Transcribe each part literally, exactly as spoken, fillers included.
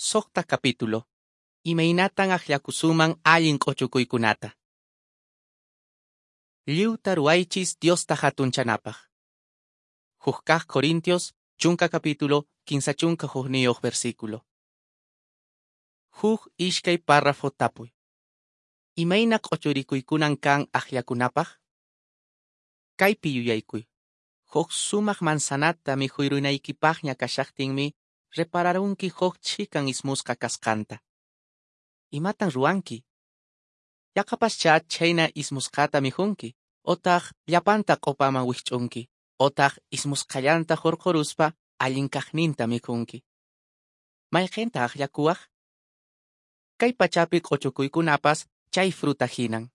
Suqta capítulo. Imaynatan akllakusunman allin q'uchukuykunata. Lliwta ruwaychis Diosta hatunchanapaq. Huk kaq Corintios, chunka capítulo, kinsa chunka hukniyuq versículo. Huk ishkay párrafo tapuy. Imayna q'uchurikuykunan kan akllakunapaq? Kaypi yuyaykuy. Huk sumaq manzanata mikhurunaykipaqña kashaqtinmi repararunki huk chhikan ismusqa kasqanta. Imatan ruwanki? Yaqapaschá chhayna ismusqata mikhunki, otaq llapanta q'upaman wikch'unki, otaq ismusqallanta hurquruspa allin kaqninta mikhunki. Mayqinta akllakuwaq? Kay pachapi q'uchukuykunapas chay fruta hinan.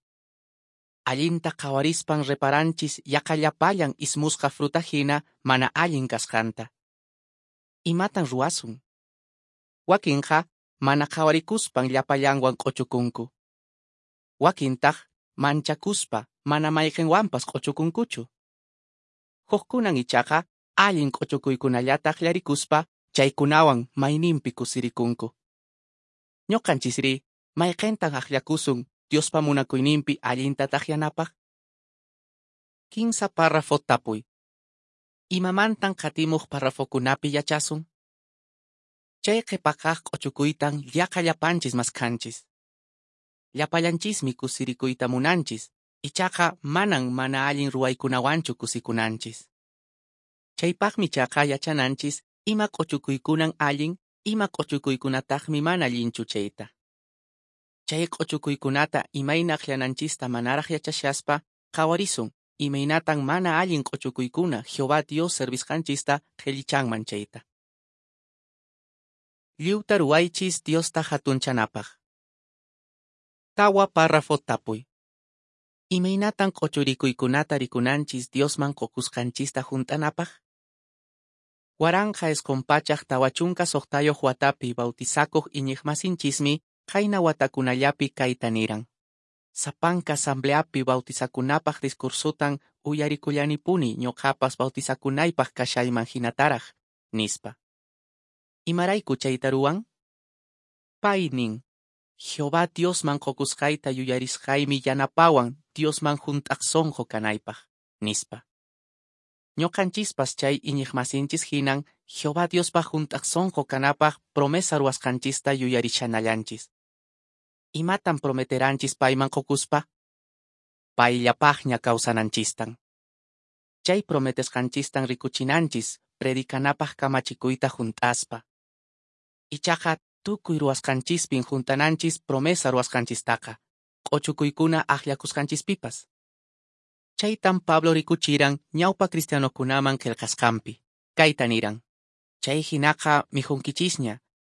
Allinta qhawarispan reparanchis yaqa llapallan ismusqa fruta hina mana allin kasqanta. Imatan ruwasun? Wakinqa mana qhawarikuspan llapallanwan q'uchukunku. Wakintaq manchakuspa mana mayqinwanpas q'uchukunkuchu. Hukkunan ichaqa allin q'uchukuykunallata akllarikuspa chaykunawan mayninpi kusirikunku. Ñuqanchisri mayqintan akllakusun Diospa munakuyninpi allinta taqyanapaq? Kinsa párrafo tapuy. Imamantan qatimuq párrafokunapi yachasun? Chay qhipakaq q'uchukuytan yaqa llapanchis maskhanchis. Llapallanchismi kusirikuyta munanchis, ichaqa manan mana allin ruwaykunawanchu kusikunanchis. Chaypaqmi chaqa yachananchis ima q'uchukuykunan allin, ima q'uchukuykunataqmi mana allinchu chayta. Chay q'uchukuykunata imayna aklananchista manaraq yachashaspa qhawarisun imaynatan mana allin q'uchukuykuna Jehová Dios servisqanchista qhillichanman chayta. Lliwta ruwaychis Diosta hatunchanapaq. Tawa párrafo tapuy. Imaynatan q'uchurikuykunata rikunanchis Diosman qukusqanchista hunt'anapaq? Waranqa isqun pachaq tawa chunka suqtayuq watapi bautizakuq iñiqmasinchismi qayna watakunallapi kayta niran. Sapanka asambleapi bautizakunapaq discursotan uyarikullanipuni ñuqapas bautizakunaypaq kashayman hinataraq, nispa. Imarayku chayta ruwan? Pay nin, Jehová Diosman qukusqayta yuyarisqaymi yanapawan Diosman hunt'aq sunqu kanaypaq, nispa. Ñuqanchispas chay iñiqmasinchis hinan Jehová Diospaq hunt'aq sunqu kanapaq promesa ruwasqanchista yuyarishanallanchis. Imatan prometeranchis payman qukuspa? Payllapaqña kawsananchistan. Chay prometesqanchistan rikuchinanchis predicanapaq kamachikuyta hunt'aspa. Ichaqa tukuy ruwasqanchispin hunt'ananchis promesa ruwasqanchistaqa, q'uchukuykuna akllakusqanchispipas. Chaytan Pablo rikuchiran ñawpa cristianokunaman qillqasqanpi. Kayta niran: Chay hinaqa mikhunkichisña,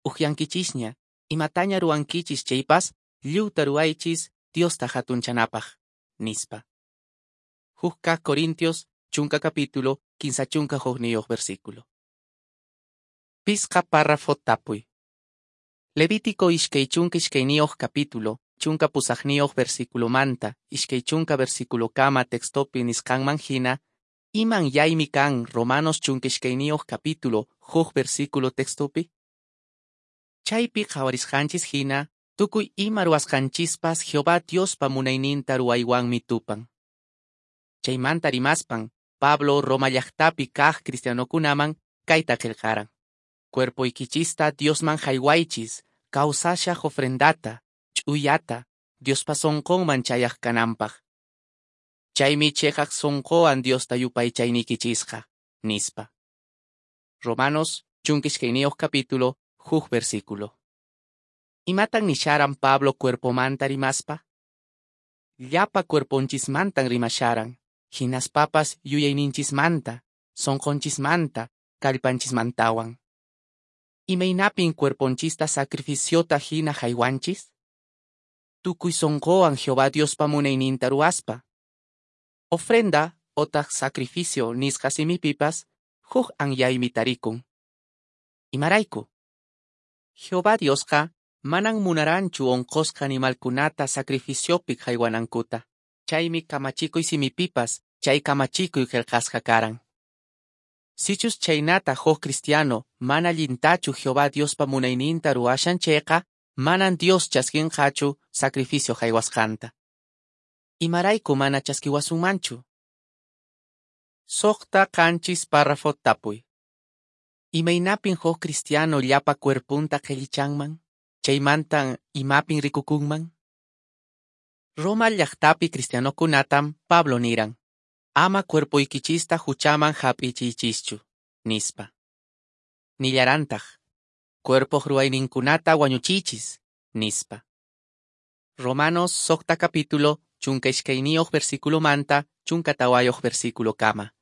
ukyankichisña, imataña ruwankichis chaypas, lliwta ruwaychis Diosta hatunchanapaq, nispa. Huk kaq Corintios, chunka capítulo, kinsa chunka hukniyuq versículo. Pisqa párrafo tapuy. Levítico ishkay chunka ishkayniyuq capítulo, chunka pusaqniyuq versículomanta, ishkay chunka versículokama textopi nisqanman hina, iman yaymi kan Romanos chunka ishkayniyuq capítulo, huk versículo textopi? Chaypi qhawarisqanchis hina, tukuy ima ruwasqanchispas Jehová Diospa munayninta ruwaywanmi tupan. Chaymanta rimaspan, Pablo Roma llaqtapi kaq cristianokunaman kayta qillqaran. Cuerpoykichista Diosman haywaychis, kawsashaq ofrendata, ch'uyata, Diospa sunqunman chayaq kananpaq. Chaymi chiqaq sunquwan Diosta yupaychayniykichisqa, nispa. Romanos, chunka ishkayniyuq capítulo, huk versículo. Imatan nisharan Pablo cuerpomanta rimaspa? Llapa cuerponchismantan rimasharan, hinaspapas yuyayninchismanta, sunqunchismanta, kallpanchismantawan. Imaynapin cuerponchista sacrificiota hina haywanchis? Tukuy sunquwan Jehová Diospa munayninta ruwaspa. Ofrenda otaq sacrificio nisqa simipipas huk anyaymi tarikun. Imarayku? Jehová Diosqa manan munaranchu unqusqa animalkunata sacrificiopi haywanankuta. Chaymi kamachikuy simipipas chay kamachikuy qillqasqa karan. Sichus chhaynata huk cristiano mana allintachu Jehová Diospa munayninta ruwashan chayqa, manan Dios chaskinqachu sacrificio haywasqanta. Imarayku mana chaskiwasunmanchu? Suqta qanchis párrafo tapuy. Imaynapin huk cristiano llapa cuerpunta qhellichanman? Chaymantan imapin rikukunman? Roma llaqtapi cristianokunatam Pablo niran, ama cuerpoykichista huchaman hap'ichiychischu, nispa. Nillarantaq, cuerpoq ruwayninkunata wañuchiychis, nispa. Romanos suqta capítulo chunka iskayniyuq versículomanta chunka tawayuq versículo kama.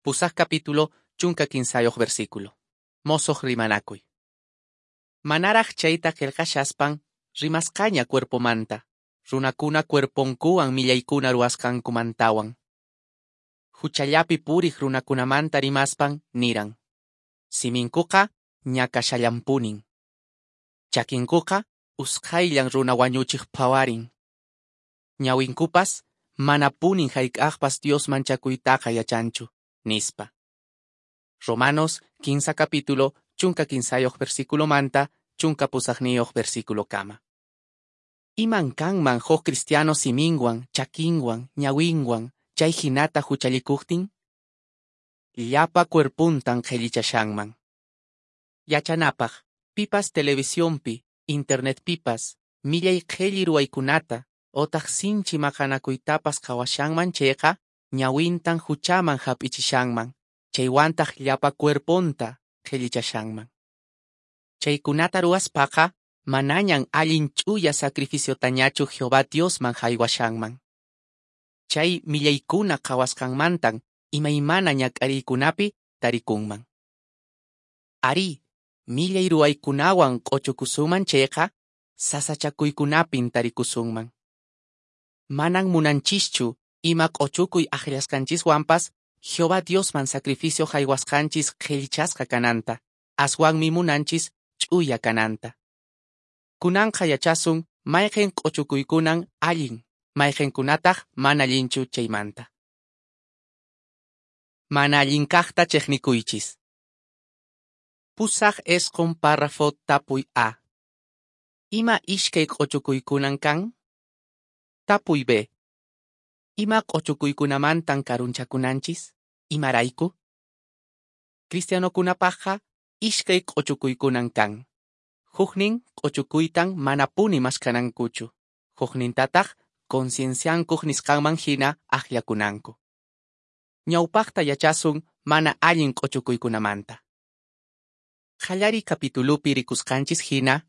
Pusaq capítulo chunka kinsayuq versículo. Mosoq rimanakuy. Manaraq chayta qillqashaspan rimasqaña cuerpomanta, runakuna cuerponkuwan millaykuna ruwasqankumantawan. Huchallapi puriq runakunamanta rimaspan niran. Siminkuqa ñakashallanpunin. Chakinkuqa usqhayllan runa wañuchiq phawarin. Ñawinkupas manapunin hayk'aqpas Dios manchakuytaqa yachanchu, nispa. Romanos quince capítulo chunka kinsayuq versículomanta chunka pusaqniyuq versículo kama. Iman kanman huk cristiano siminwan, chakinwan, ñawinwan, chay hinata huchallikuqtin? Llapa cuerpuntan qhellichashanman. Yachanapaq, pipas televisionpi, internetpipas, millay qhelli ruwaykunata, otaq sinchi maqanakuytapas qhawashanman chayqa, ñawintan huchaman hap'ichishanman, chaywantaq llapa cuerponta qhellichashanman. Chaykunata ruwaspaqa, manañan allin ch'uya sacrificiotañachu Jehová Diosman haywashanman. Chay millaykuna qhawasqanmantan imaymana ñak'ariykunapi tarikunman. Ari, millay ruwaykunawan q'uchukusunman chayqa, sasachakuykunapin tarikusunman. Manan munanchischu ima q'uchukuy akllasqanchiswanpas Jehová Diosman sacrificio haywasqanchis qhellichasqa kananta, aswanmi munanchis ch'uya kananta. Kunanqa yachasun mayqin q'uchukuykunan allin, mayqinkunataq mana allinchu chaymanta. Mana allin kaqta chiqnikuychis. Pusaq isqun párrafo tapuy A. Ima iskay q'uchukuykunan kan? Tapuy B. Ima q'uchukuykunamantan karunchakunanchis? Imarayku? Cristianokunapaqqa iskay q'uchukuykunan kan. Huknin q'uchukuytan manapuni maskanankuchu. Huknintataq concienciankuq nisqanman hina akllakunanku. Ñawpaqta yachasun mana allin q'uchukuykunamanta. Qallariy capitulupi rikusqanchis hina,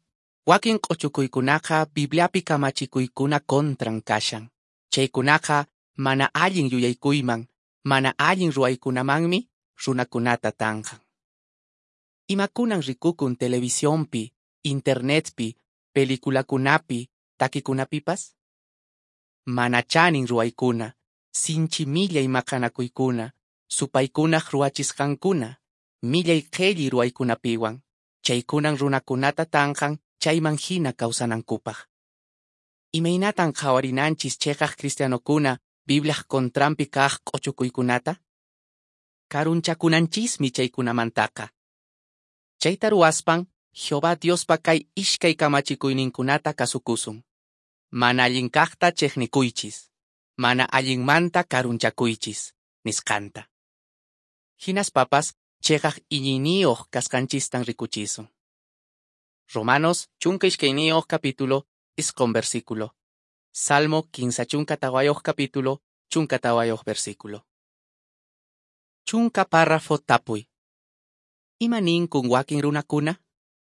wakin q'uchukuykunaqa Bibliapi kamachikuykuna contran kashan. Chaykunaqa mana allin yuyaykuyman, mana allin ruwaykunamanmi runakunata tanqan. Imakunan rikukun televisionpi, internetpi, peliculakunapi, takikunapipas? Mana chanin ruwaykuna, sinchi millay maqanakuykuna, supaykunaq ruwachisqankuna, millay qhelli ruwaykunapiwan, chaykunan runakunata tanqan chayman hina kawsanankupaq. Imaynatan qhawarinanchis cheqaq cristianokuna Bibliaq contranpi kaq q'uchukuykunata? Karunchakunanchismi chaykunamantaqa. Chayta ruwaspan Jehová Diospa kay iskay kamachikuyninkunata kasukusun. Mana allin kaqta chiqnikuychis, mana allinmanta karunchakuychis, nisqanta. Hinaspapas cheqaq iñiyniyuq kasqanchistan rikuchisun. Romanos chunka iskayniyuq capítulo isqun versículo. Salmo kinsa chunka tawayuq capítulo chunka tawayuq versículo. Chunka párrafo tapuy. Ima ninkun wakin runakuna?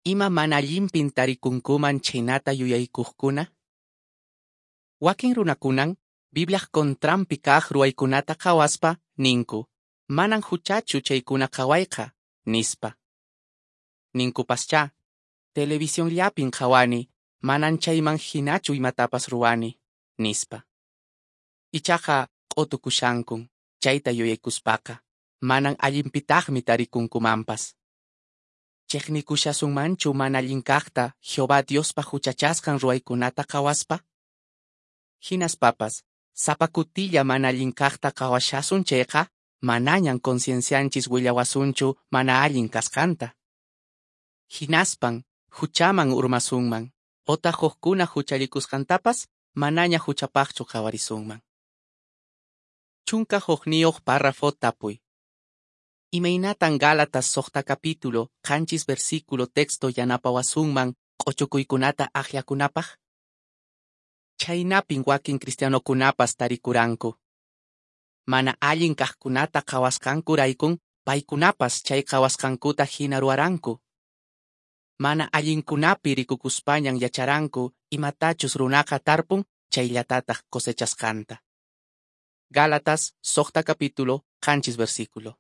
Ima mana allinpin tarikunkuman chhaynata yuyaykuqkuna? Wakin runakunan Bibliaq contranpi kaq ruwaykunata qhawaspa ninku, manan huchachu chaykuna qhawayqa, nispa. Ninkupaschá, televisionllapin qhawani, manan chayman hinachu imatapas ruwani, nispa. Ichaqa q'utukushankun, chayta yuyaykuspaqa, manan allinpitaqmi tarikunkumanpas. Chiqnikushasunmanchu mana allin kaqta Jehová Diospa huchachasqan ruwaykunata qhawaspa? Hinaspapas, sapa kutilla mana allin kaqta qhawashasun chayqa, manañan conciencianchis willawasunchu mana allin kasqanta. Hinaspan huchaman urmasunman, otaq hukkuna huchallikusqantapas manaña huchapaqchu qhawarisunman. Chunka hukniyuq párrafo tapuy. Imaynatan Gálatas suqta capítulo, qanchis versículo texto yanapawasunman q'uchukuykunata akllakunapaq? Chhaynapin wakin cristianokunapas tarikuranku. Mana allin kaqkunata qhawasqankuraykun paykunapas chay qhawasqankuta hina ruwaranku. Mana allinkunapi rikukuspañan yacharanku imatachus runaqa tarpun chayllatataq cosechasqanta. Gálatas suqta capítulo, qanchis versículo.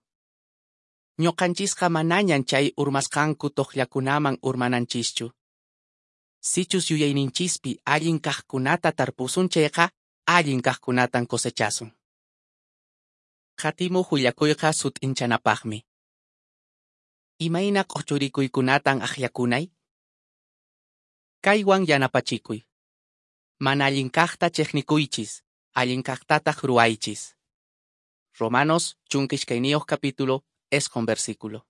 Ñuqanchisqa manañan chay urmasqanku toqllakunaman urmananchischu. Sichus yuyayninchispi allin kaqkunata tarpusun chayqa, allin kaqkunatan cosechasun. Qatimuq willakuyqa sut'inchanapaqmi. Imayna q'uchurikuykunatan akllakunay? Kaywan yanapachikuy. Mana allin kaqta chiqnikuychis, allin kaqtataq ruwaychis. Romanos chunka iskayniyuq capítulo, isqun versículo.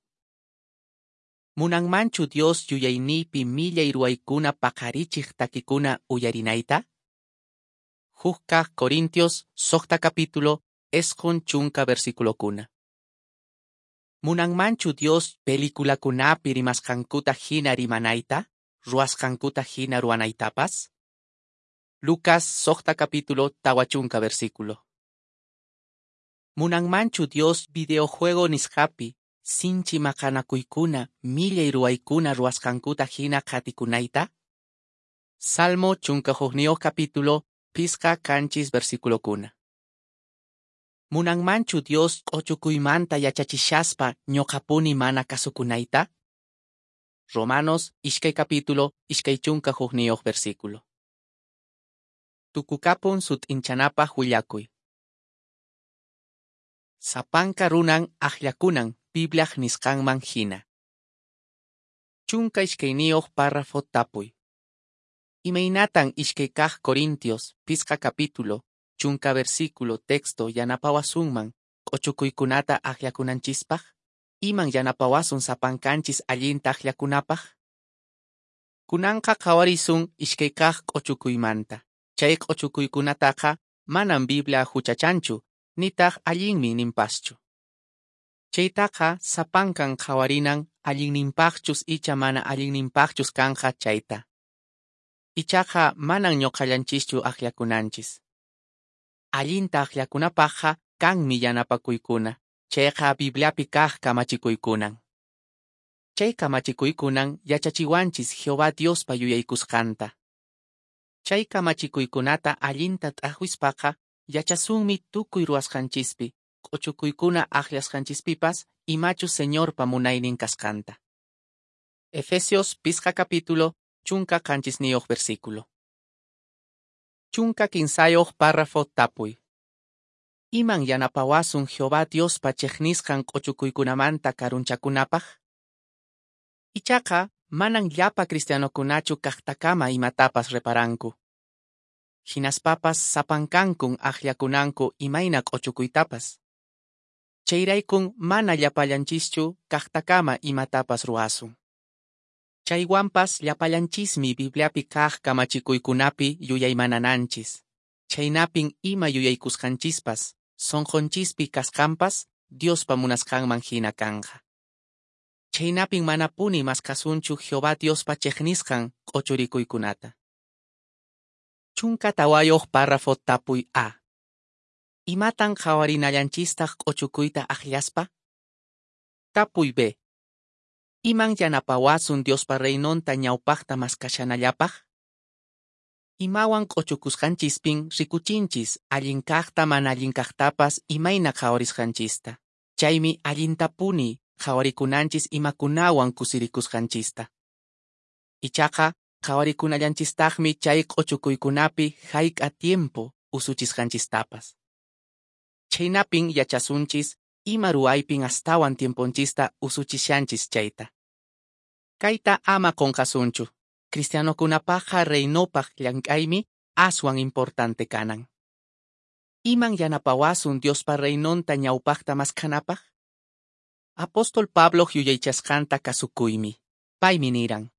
Munanmanchu Dios yuyayniypi millay ruwaykuna paqarichiq takikuna uyarinayta? Huk kaq Corintios suqta capítulo, isqun chunka versiculokuna. Munanmanchu Dios peliculakunapi rimasqankuta hina rimanayta, ruwasqankuta hina ruwanaytapas? Lucas suqta capítulo tawa chunka versículo. Munanmanchu Dios videojuego nisqapi sinchi maqanakuykuna millay ruwaykuna ruwasqankuta hina qatikunayta? Salmo chunka hukniyuq capítulo pisqa qanchis versiculokuna. Munanmanchu Dios q'uchukuymanta yachachishaspa ñuqapuni mana kasukunayta? Romanos iskay capítulo iskay chunka hukniyuq versículo. Tukukapun sut'inchanapaq willakuy. Sapanka runan akllakunan Bibliaq nisqanman hina. Chunka iskayniyuq párrafo tapuy. Imaynatan iskay kaq Corintios pisqa capítulo chunka versículo texto yanapawasunman q'uchukuykunata akllakunanchispaq? Iman yanapawasun sapankanchis allinta akllakunapaq? Kunanqa qhawarisun iskay kaq q'uchukuymanta. Chay q'uchukuykunataqa manan Biblia huchachanchu, nitaq allinmi ninpaschu. Chaytaqa sapankan qhawarinan allinninpaqchus icha mana allinninpaqchus kanqa chayta. Ichaqa manan ñuqallanchischu akllakunanchis. Allinta akllakunapaqqa kanmi yanapakuykuna, chayqa Bibliapi kaq kamachikuykunan. Chay kamachikuykunan yachachiwanchis Jehová Diospa yuyaykusqanta. Chay kamachikuykunata allinta t'aqwispaqa yachasunmi tukuy ruwasqanchispi, q'uchukuykuna akllasqanchispipas imachus Señorpa munaynin kasqanta. Efesios pisqa capítulo, chunka qanchisniyuq versículo. Chunka kinsayuq párrafo tapuy. Iman yanapawasun Jehová Diospa chiqnisqan q'uchukuykunamanta karunchakunapaq? Ichaqa manan llapa cristianokunachu kaqtakama imatapas reparanku. Hinaspapas sapankankun akllakunanku imayna q'uchukuytapas. Chayraykun mana llapallanchischu kaqtakama imatapas ruwasun. Chaywanpas llapallanchismi Bibliapi kaq kamachikuykunapi yuyaymanananchis. Chhaynapin ima yuyaykusqanchispas, sunqunchispi kasqanpas Diospa munasqanman hina kanqa. Chhaynapin manapuni maskhasunchu Jehová Diospa chiqnisqan q'uchurikuykunata. Chunka tawayuq párrafo tapuy A. Imatan qhawarinallanchistaq q'uchukuyta akllaspa? Tapuy B. Iman yanapawasun Diospa reinonta ñawpaqta maskashanallapaq? Imawan q'uchukusqanchispin rikuchinchis allin kaqta mana allin kaqtapas imayna qhawarisqanchista. Chaymi allintapuni qhawarikunanchis imakunawan kusirikusqanchista. Ichaqa qhawarikunallanchistaqmi chay q'uchukuykunapi hayk'a tiempo usuchisqanchistapas. Chhaynapin yachasunchis ima ruwaypin astawan tiemponchista usuchishanchis chayta. Kayta ama qunqasunchu. Cristianokunapaqqa reinopaq llank'aymi aswan importante kanan. Iman yanapawasun Diospa Reinonta ñawpaqta maskhanapaq? Apóstol Pabloq yuyaychasqanta kasukuymi. Paymi niran: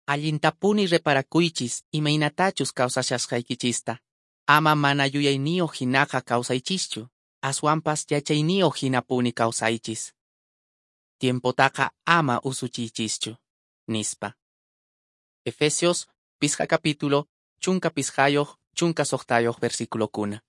Allintapuni reparakuychis imaynatachus kawsashasqaykichista. Ama mana yuyayniyoq hinaqa kawsaychischu, aswanpas yachayniyoq hinapuni kawsaychis. Tiempotaqa ama usuchiychischu, nispa. Efesios, pisqa capítulo, chunka pisqayoq, chunka soqtayoq versiculokuna.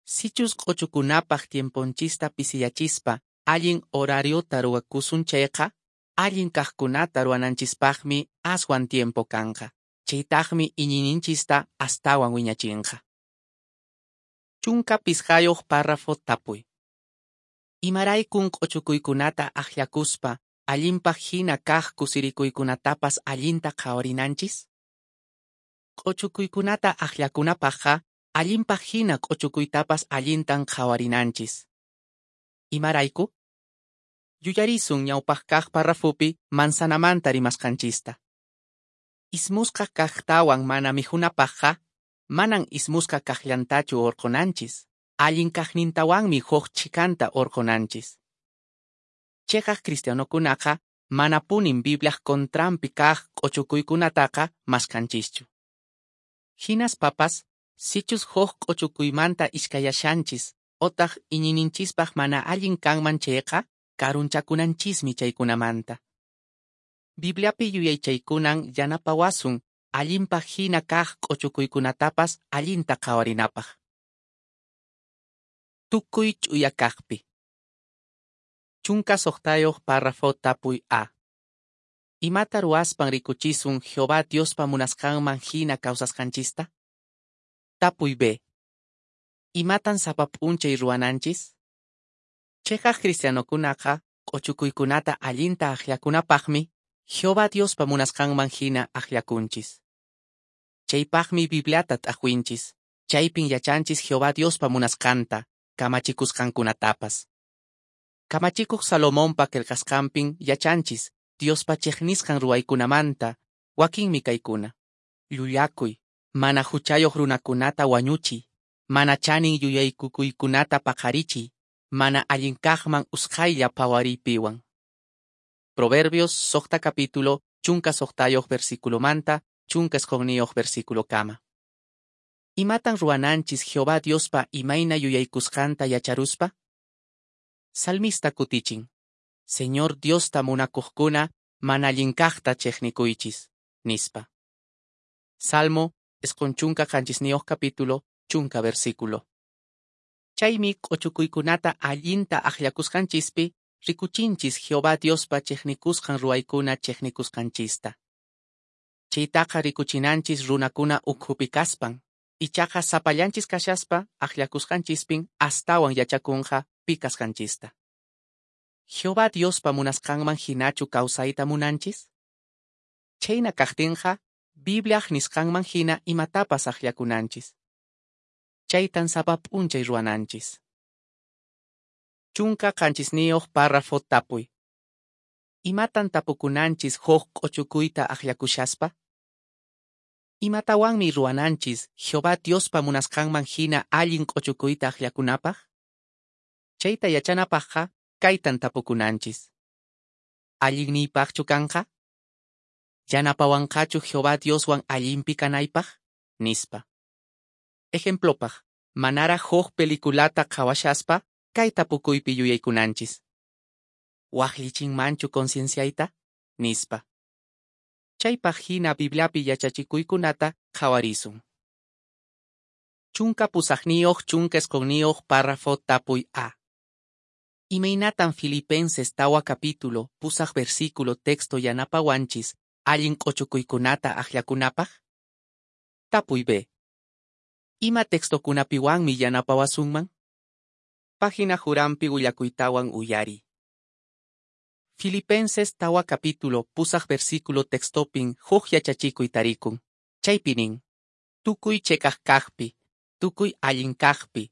Sichus q'uchukunapaq tiemponchista pisiyachispa allin horariota ruwakusun chayqa, allin kaqkunata ruwananchispaqmi aswan tiempo kanqa. Chaytaqmi iñiyninchista astawan wiñachinqa. Chunka pisqayoq párrafo tapuy. Imaraykun q'uchukuykunata akllakuspa allinpaq hina kaq kusirikuykunatapas allinta qhawarinanchis? Q'uchukuykunata akllakunapaqqa allinpaq hina q'uchukuytapas allintan qhawarinanchis. Imarayku? Yuyarisun ñawpaq kaq parrafopi manzanamanta rimasqanchista. Ismusqa kaqtawan mana mikhunapaqqa, manan ismusqa kaqllantachu urqunanchis, allin kaqnintawanmi huk chhikanta urqunanchis. Cheqaq cristianokunaqa manapunin Bibliaq contranpi kaq q'uchukuykunataqa maskhanchischu. Hinaspapas, sichus huk q'uchukuymanta iskayashanchis otaq iñiyninchispaq mana allin kanman chayqa, karunchakunanchismi chaykunamanta. Bibliapi yuyaychaykunan yanapawasun allinpaq hina kaq q'uchukuykunatapas allinta qhawarinapaq. Tukuy ch'uya kaqpi. Chunka soqtayoq párrafo tapuy A. Imata ruwaspan rikuchisun Jehová Diospa munasqanman hina kawsasqanchista? Tapuy B. Imatan sapa p'unchay ruwananchis? Cheqaq cristianokunaqa q'uchukuykunata allinta akllakunapaqmi Jehová Diospa munasqanman hina akllakunchis. Chaypaqmi Bibliata t'aqwinchis, chaypin yachanchis Jehová Diospa munasqanta, kamachikusqankunatapas. Kamachikuq Salomonpa qillqasqanpin yachanchis Diospa chiqnisqan ruwaykunamanta, wakinmi kaykuna: llullakuy, mana huchayoq runakunata wañuchiy, mana chanin yuyaykukuykunata paqarichiy, mana allin kaqman usqhaylla phawariypiwan. Proverbios soqta capítulo, chunka soqtayoq versiculomanta, chunka isqunniyuq versiculokama. Imatan ruwananchis Jehová Diospa imayna yuyaykusqanta yacharuspa? Salmista kutichin: Señor Diosta munakuqkuna mana allin kaqta chiqnikuychis, nispa. Salmo isqun chunka qanchisniyuq capítulo, chunka versículo. Chaymi q'uchukuykunata allinta akllakusqanchispi rikuchinchis Jehová Diospa chiqnikusqan ruwaykuna chiqnikusqanchista. Chaytaqa rikuchinanchis runakuna ukhupi kaspan, ichaqa sapallanchis kashaspa akllakusqanchispin astawan yachakunqa pi kasqanchista. Jehová Diospa munasqanman hinachu kawsayta munanchis? Chayna kaqtinqa, Bibliaq nisqanman hina imatapas akllakunanchis. Chaytan sapa p'unchay ruwananchis. Chunka qanchisniyuq párrafo tapuy. Imatan tapukunanchis huk q'uchukuyta akllakushaspa? Imatawanmi ruwananchis Jehová Diospa munasqanman hina allin q'uchukuyta akllakunapaq? Chayta yachanapaqqa kaytan tapukunanchis. Allinniypaqchu kanqa? Yanapawanqachu Jehová Dioswan allinpi kanaypaq? Nispa. Ejemplopaq, manaraq huk peliculata qhawashaspa kay tapukuypi yuyaykunanchis. Waqllichinmanchu concienciayta? Nispa. Chaypaq hina Bibliapi yachachikuykunata qhawarisun. Chunka pusaqniyuq chunka isqunniyuq párrafo tapuy A. Imaynatan Filipenses tawa capítulo, pusaq versículo texto yanapawanchis allin q'uchukuykunata akllakunapaq? Tapuy B. Ima textokunapiwanmi yanapawasunman? Página jurampi willakuytawan uyariy. Filipenses tawa capítulo, pusaq versículo textopin huk yachachikuy tarikun. Chaypi nin: tukuy cheqaq kaqpi, tukuy allin kaqpi,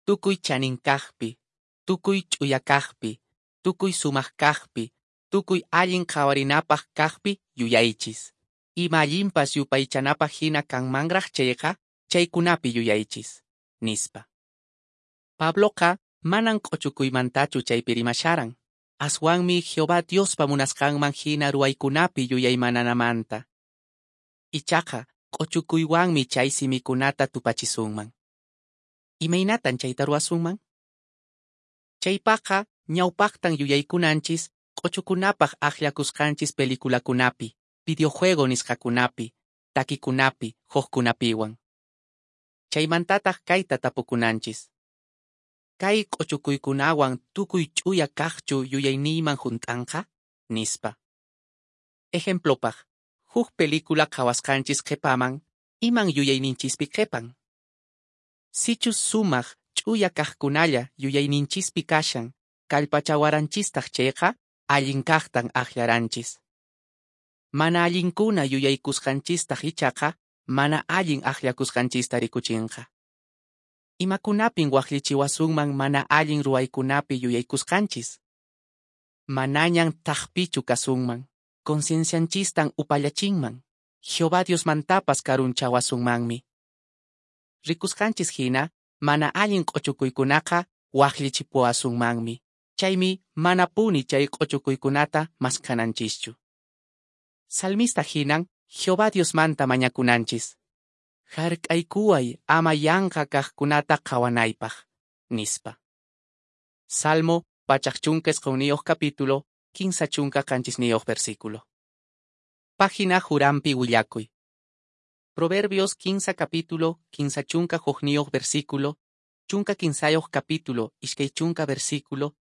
tukuy chanin kaqpi, tukuy ch'uya kaqpi, tukuy sumaq kaqpi, tukuy allin qhawarinapaq kaqpi yuyaychis. Ima allinpas yupaychanapaq hina kanmanraq chayqa, chaykunapi yuyaychis, nispa. Pabloqa manan q'ochukuymantachu chaypi rimasharan, aswanmi Jehová Diospa munasqanman hina ruwaykunapi yuyaymananamanta. Ichaqa q'ochukuywanmi chay simikunata tupachisunman. Imaynatan chayta ruwasunman? Chaypaqqa ñawpaqtan yuyaykunanchis q'ochukunapaq akllakusqanchis peliculakunapi, videojuego nisqakunapi, takikunapi, hukkunapiwan. Chaymantataq kayta tapukunanchis. Kay q'ochukuykunawan tukuy ch'uya kaqchu yuyayniyman hunt'anqa? Nispa. Ejemplopaq, huk película qhawasqanchis qhipaman, iman yuyayninchispi qhipan? Sichus sumaq ch'uya kaqkunalla yuyayninchispi kashan, kallpachawaranchistaq chayqa, allin kaqtan akllaranchis. Mana allinkuna yuyaykusqanchistaq ichaqa, mana allin akllakusqanchista rikuchinqa. Imakunapin waqllichiwasunman mana allin ruwaykunapi yuyaykusqanchis? Manañan thakpichu kasunman, conciencianchistan upallachinman, Jehová Diosmantapas karunchawasunmanmi. Rikusqanchis hina, mana allin q'ochukuykunaqa waqllichipuwasunmanmi. Chaymi manapuni chay q'ochukuykunata maskananchischu. Salmista hinan Jehová Diosmanta mañakunanchis. Hark'aykuway ama yanqa kaqkunata qhawanaypaq, nispa. Salmo pachak chunka isqunniyuq capítulo, kinsa chunka qanchisniyuq versículo. Página Jurampi willakuy. Proverbios kinsa capítulo, kinsa chunka hukniyuq versículo, chunka kinsayuq capítulo, iskay chunka versículo,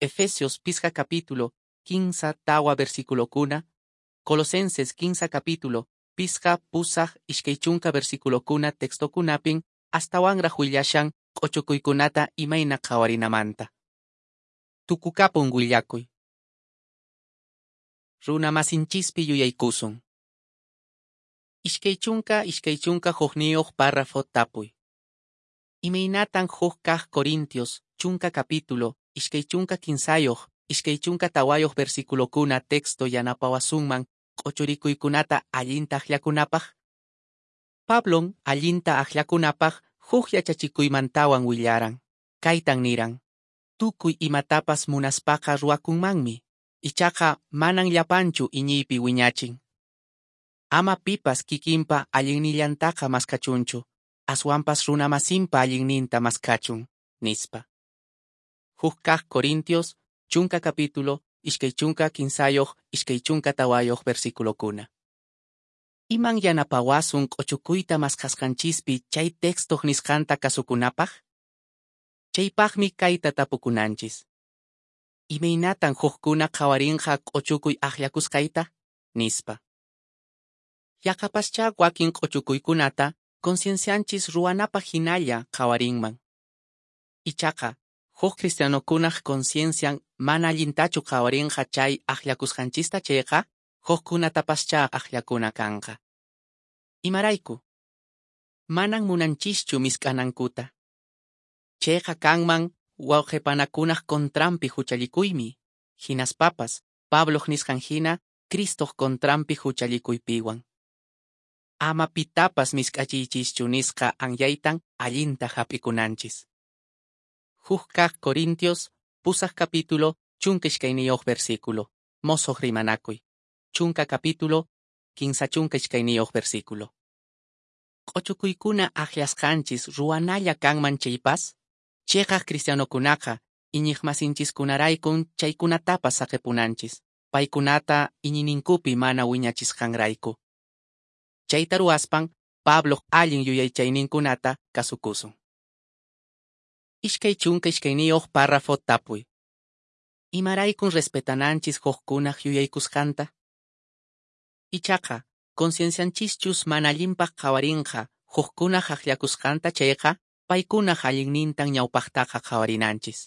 Efesios pisqa capítulo, kinsa tawa versículokuna, Colosenses kinsa capítulo, pisqa pusaq iskay chunka versículokuna textokunapin astawanraq willashan q'ochukuykunata imayna qhawarinamanta. Tukukapun willakuy. Runa masinchispi yuyaykusun. Iskay chunka iskay chunka hukniyuq párrafo tapuy. Imaynatan huk kaq Corintios chunka capítulo iskay chunka kinsayuq iskay chunka tawayuq versículokuna texto yanapawasunman q'ochurikuykunata allinta akllakunapaq? Pablon allinta akllakunapaq huk yachachikuymantawan willaran. Kaytan niran: tukuy imatapas munaspaqa ruwakunmanmi, ichaqa manan llapanchu iñiypi wiñachin. Ama pipas kikinpa allinnillantaqa maskachunchu, aswanpas runamasinpa allinninta maskachun, nispa. Huk kaq Corintios chunka capítulo, iskay chunka kinsayuq, iskay chunka tawayuq versículokuna. Iman yanapawasun q'ochukuyta maskasqanchispi chay textoq nisqanta kasukunapaq? Chaypaqmi kayta tapukunanchis. Imaynatan hukkuna qhawarinqa q'ochukuy akllakusqayta? Nispa. Yaqapaschá wakin q'ochukuykunata conciencianchis ruwanapaq hinalla qhawarinman. Ichaqa, huk cristianokunaq conciencian mana allintachu qhawarinqa chay akllakusqanchista chayqa, hukkunatapaschá akllakuna kanqa. Imarayku? Manan munanchischu misk'anankuta. Chayqa kanman wawqipanakunaq contranpi huchallikuymi, hinaspapas Pabloq nisqan hina Cristoq contranpi huchallikuypiwan. Ama pitapas misk'achiychischu nisqa anyaytan allinta hap'ikunanchis. Huk kaq Corintios, pusaq capítulo, chunka iskayniyuq versículo, mosoq rimanakuy. Chunka capítulo, kinsa chunka iskayniyuq versículo. Q'ochukuykuna akllasqanchis ruwanalla kanman chaypas, chiqaq cristianokunaqa iñiqmasinchiskunaraykun chaykunatapas saqipunanchis, paykunata iñiyninkupi mana wiñachisqanrayku. Chayta ruwaspan Pabloq allin yuyaychayninkunata kasukusun. Iskay chunka iskayniyuq párrafo tapuy. Imaraykun respetananchis hukkunaq yuyaykusqanta? Ichaqa, conciencianchischus mana allinpaq qhawarinqa hukkunaq akllakusqanta chayqa, paykunaq allinnintan ñawpaqtaqa qhawarinanchis.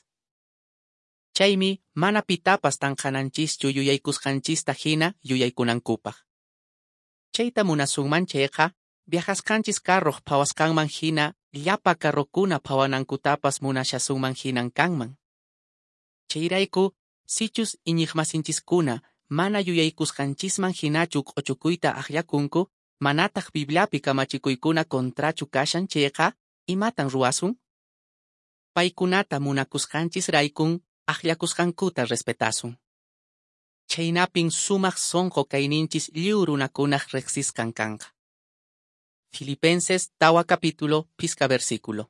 Chaymi mana pitapas tanqananchischu yuyaykusqanchista hina yuyaykunankupaq. Chayta munasunman chayqa, viajasqanchis carroq phawasqanman hina llapa carrokuna phawanankutapas munashasunman hinan kanman. Chayrayku, sichus iñiqmasinchiskuna mana yuyaykusqanchisman hinachu q'ochukuyta akllakunku, manataq Bibliapi kamachikuykuna contrachu kashan chayqa, imatan ruwasun? Paykunata munakusqanchisraykun akllakusqankuta respetasun. Chhaynapin sumaq sonqo kayninchis lliw runakunaq reqsisqan kanqa. Filipenses tawa capítulo phisqa versículo.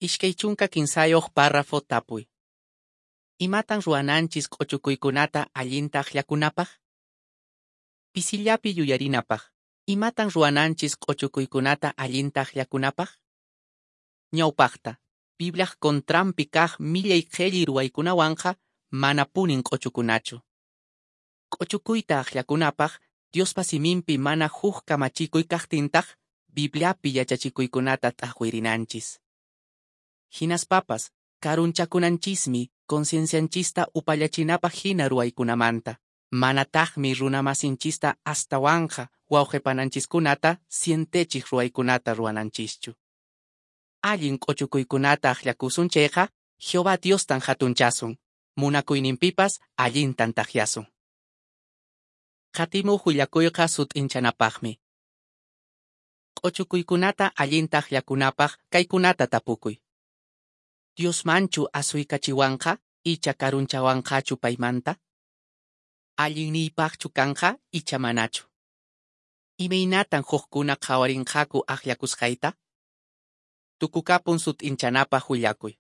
Iskay chunka kinsayuq párrafo tapuy. Imatan ruwananchis q'uchukuykunata allinta akllakunapaq? Pisillapi yuyarinapaq. Imatan ruwananchis q'uchukuykunata allinta akllakunapaq? Ñawpaqta, Bibliaq contranpi kaq millay qhelli ruwaykunawanqa manapunin q'uchukunachu. Q'uchukuyta akllakunapaq Diospa siminpi mana huk kamachikuy kaqtintaq Bibliapi yachachikuykunata t'aqwirinanchis. Hinaspapas, karunchakunanchismi conciencianchista upallachinapaq hina ruwaykunamanta. Manataqmi runamasinchista astawanqa wawqipananchiskunata sientechiq ruwaykunata ruwananchischu. Allin q'uchukuykunata akllakusun chayqa, Jehová Diostan hatunchasun, munakuyninpipas allintan takyasun. Qatimuq willakuyqa sut'inchanapaqmi. Q'uchukuykunata allinta akllakunapaq kaykunata tapukuy. Diosmanchu asuykachiwanqa icha karunchawanqachu paymanta? Allinniypaqchu kanqa icha manachu? Imaynatan hukkuna qhawarinqaku akllakusqayta? Tukukapun sut'inchanapaq willakuy.